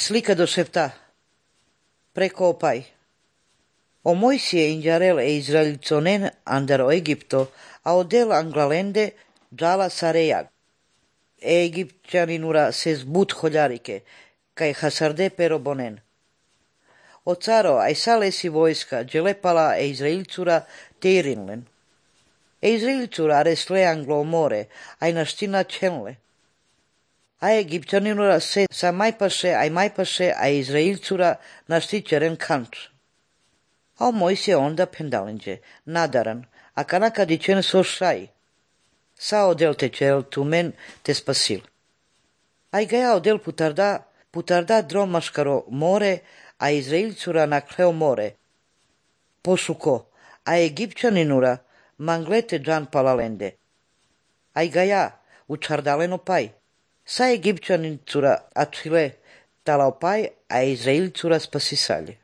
Slika do šepta. Preko opaj. O Moisije injarel e Izraelitsonen andar o Egipto, a odel anglalende džala sarejag. E Egipćaninura ses but holjarike, kaj hasarde pero bonen. O caro, aj salesi vojska, dželepala e Izraelcura teirinlen. E Izraelcura aresle anglo more, aj naština čenle. A Egipćaninura se sa majpaše, a Izraelcura naštićeren kanč. A Mojsije onda pendalenđe, nadaran, a kanaka dičen so šaj. Sa odel tečel tumen te spasil. Aj gaja odel putarda dromaškaro more, a Izraelcura nakleo more. Pošuko, a Egipćaninura manglete džan palalende. Aj gaja, učardaleno paj. Sa Egipćanicura atfile talao paj, a Izraelcura spasisalje.